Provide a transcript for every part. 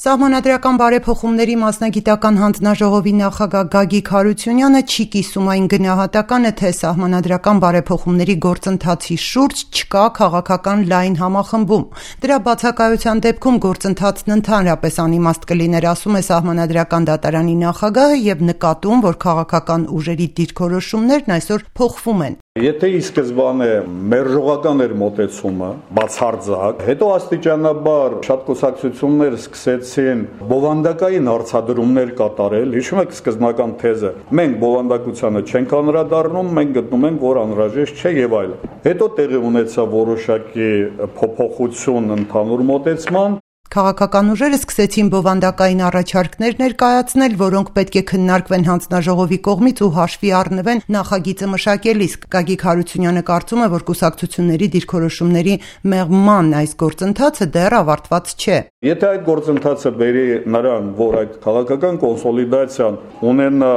Սահմանադրական բարեփոխումների մասնագիտական հանձնաժողովի նախագահ Գագիկ Հարությունյանը չի կիսում այն գնահատականը, թե սահմանադրական բարեփոխումների գործընթացի շուրջ չկա քաղաքական լայն համախմբում։ Դրա բացակայության դեպքում գործընթացն ընդհանրապես անիմաստ կլիներ, ասում է Սահմանադրական դատարանի նախագահը եւ նկատում, որ քաղաքական ուժերի դիրքորոշումներն այսօր փոխվում են։ Եթե ի սկզբանե մերժողական էր մոտեցումը, բացարձակ, հետո աստիճանաբար շատ կուսակցություններ սկսեցին բովանդակային հարցադրումներ կատարել, հիշում եք սկզբնական թեզը, մենք բովանդակությանը չենք անդրադառնում, մենք գտնում ենք, որ անհրաժեշտ չէ եւ այլն։ Հետո տեղի ունեցավ որոշակի փոփոխություն ընդհանուր մոտեցման։ Քաղաքական ուժերը սկսեցին բովանդակային առաջարկներ ներկայացնել, որոնք պետք է քննարկվեն հանձնաժողովի կողմից ու հաշվի առնվեն նախագիծը մշակելիս։ Գագիկ Հարությունյանը կարծում է, որ կուսակցությունների դիրքորոշումների մեղման այս գործընթացը դեռ ավարտված չէ։ Եթե այդ գործընթացը բերի նրան, որ այդ քաղաքական կոնսոլիդացիան ունենա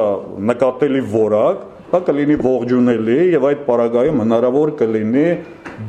նկատելի որակ, դա կլինի ողջունելի եւ այդ պարագայում հնարավոր կլինի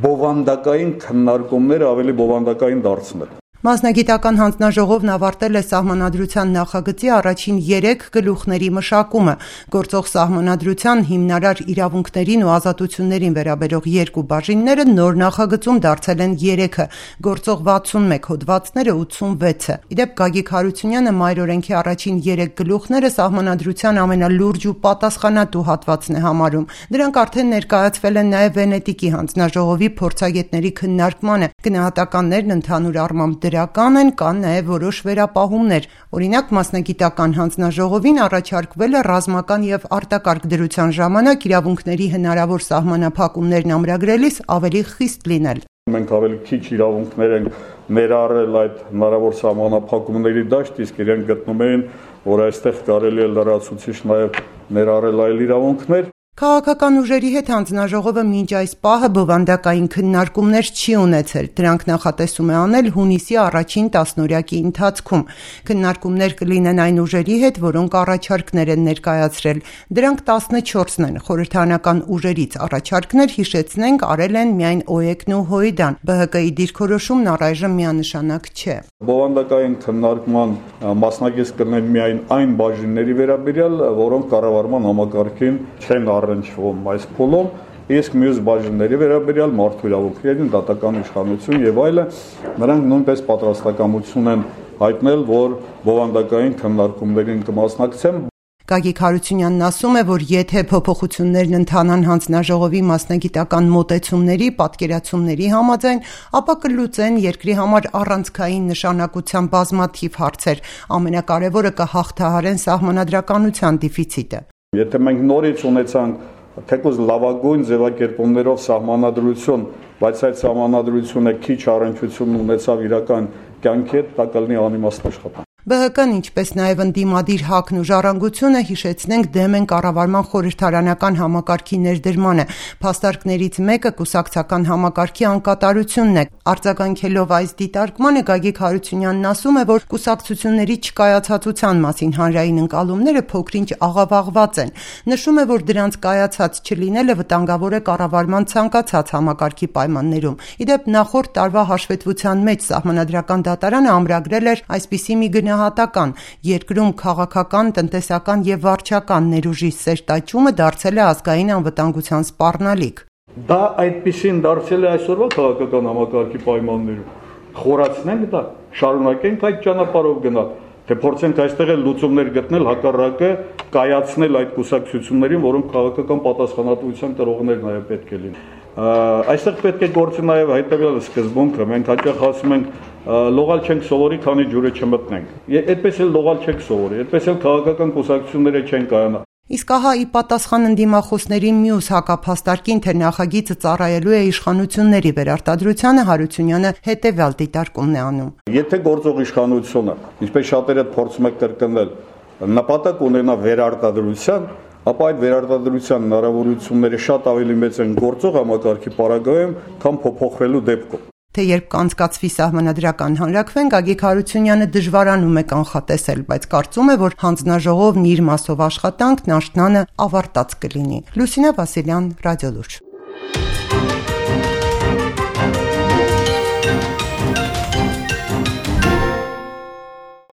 բովանդակային քննարկումները ավելի բովանդակային դարձնել։ Մասնագիտական հանձնաժողովն ավարտել է սահմանադրության նախագծի առաջին 3 գլուխների մշակումը։ Գործող սահմանադրության հիմնարար իրավունքներին ու ազատություններին վերաբերող 2 բաժինները նոր նախագծում դարձել են 3-ը, գործող 61 հոդվածները 86-ը։ Իդեպ Գագիկ Հարությունյանը մայրօրենքի առաջին 3 գլուխները սահմանադրության ամենալուրջ ու պատասխանատու հատվածն է համարում։ Դրանք արդեն ներկայացվել են նաև Վենետիկի հանձնաժողովի փորձագետների քննարկմանը։ Գնահատականներն ընդհանուր առմամբ դրական են, կան նաև որոշ վերապահումներ։ Օրինակ, մասնագիտական հանձնաժողովին առաջարկվել է ռազմական եւ արտակարգ դրության ժամանակ իրավունքների հնարավոր սահմանափակումներն ամրագրելիս ավելի խիստ լինել։ Մենք ավելի քիչ իրավունքներ ենք ներառել այդ հնարավոր սահմանափակումների դաշտ, իսկ իրենք գտնում էին, որ այստեղ կարելի է լրացուցիչ նաև ներառել այլ իրավունքներ։ Քաղաքական ուժերի հետ հանձնաժողովը մինչ այս պահը բովանդակային քննարկումներ չի ունեցել։ Դրանք նախատեսում է անել հունիսի առաջին տասնօրյակի ընթացքում։ Քննարկումներ կլինեն այն ուժերի հետ, որոնք առաջարկներ են ներկայացրել։ Դրանք 14-ն են։ Խորհրդարանական ուժերից առաջարկներ, հիշեցնենք, արել են միայն ՕԵԿ-ն ու ՀՅԴ-ն։ ԲՀԿ-ի դիրքորոշումն առայժմ միանշանակ չէ։ Բովանդակային քննարկման մասնակից կլինեն միայն այն բաժինների վերաբերյալ, որոնք կառավարման համակարգին չեն առնչվում այս փուլում, իսկ մյուս բաժինների վերաբերյալ մարդու իրավունքներին, դատական իշխանություն եւ այլն, նրանք նույնպես պատրաստակամություն են հայտնել, որ բովանդակային քննարկումներին կմասնակցեն։ Գագիկ Հարությունյանն ասում է, որ եթե փոփոխություններն ընթանան հանձնաժողովի մասնագիտական մոտեցումների, պատկերացումների համաձայն, ապա կլուծեն երկրի համար առանցքային նշանակության բազմաթիվ հարցեր։ Ամենակարևորը կհաղթահարեն սահմանադրականության դեֆիցիտը։ Եթե մենք նորից ունեցանք թեկուզ լավագույն ձևակերպումներով սահմանադրություն, բայց այդ սահմանադրությունը քիչ առնչություն ունեցավ իրական կյանքի հետ, դա կլինի անիմաստ աշխատանք։ ԲՀԿ-ն, ինչպես նաև ընդդիմադիր ՀԱԿ-ն ու Ժառանգությունը, հիշեցնենք, դեմ են կառավարման խորհրդարանական համակարգի ներդրմանը։ Փաստարկներից մեկը կուսակցական համակարգի անկատարությունն է։ Արձագանքելով այս դիտարկմանը Գագիկ Հարությունյանն ասում է, որ կուսակցությունների չկայացածության մասին հանրային ընկալումները փոքրինչ աղավաղված են։ Նշում է, որ դրանց կայացած չլինելը վտանգավոր է կառավարման ցանկացած համակարգի պայմաններում։ Իդեպ նախորդ տարվա հաշվետվության մեջ Սահմանադրական դատարանը ամրագրել էր այսպիսի մի գնահատական. երկրում քաղաքական, տնտեսական եւ վարչական ներուժի սերտ աճումը դարձել է ազգային անվտանգության սպառնալիք։ Դա այդպեսին դարձել է այսօրվա քաղաքական համակարգի պայմաններում։ Խորացնենք դա, շարունակենք այդ ճանապարհով գնալ, թե փորձենք այստեղ էլ լուծումներ գտնել, հակառակը կայացնել այդ կուսակցություններին, որոնք քաղաքական պատասխանատվության կրողներ նաեւ պետք է լինեն։ Այստեղ պետք է գործի նաեւ հայտարարել սկզբունքը, մենք հաճախ ասում ենք լողալ չենք սովորի, քանի ջուրը չմտնենք։ Այդպես էլ լողալ չեք սովորի, այդպես էլ քաղաքական կուսակցությունները չեն կայանա։ Իսկ ահա ի պատասխան ընդդիմախոսների մյուս հակափաստարկին, թե նախագիծը ծառայելու է իշխանությունների վերարտադրությանը, Հարությունյանը հետևյալ դիտարկումն է անում։ Եթե գործող իշխանությունը, ինչպես շատերը փորձում են կրկնել, նպատակ ունենա վերարտադրության, ապա այդ վերարտադրության հնարավորությունները շատ ավելի մեծ են գործող համակարգի պարագայում, քան փոփոխվելու դեպքում։ Թե երբ կանցկացվի սահմանադրական հանրաքվեն, Գագիկ Հարությունյանը դժվարանում է կանխատեսել, բայց կարծում է, որ հանձնաժողովն իր մասով աշխատանքն աշնանը ավարտած կլինի։ Լուսինե Վասիլյան, Ռադիոլուրջ։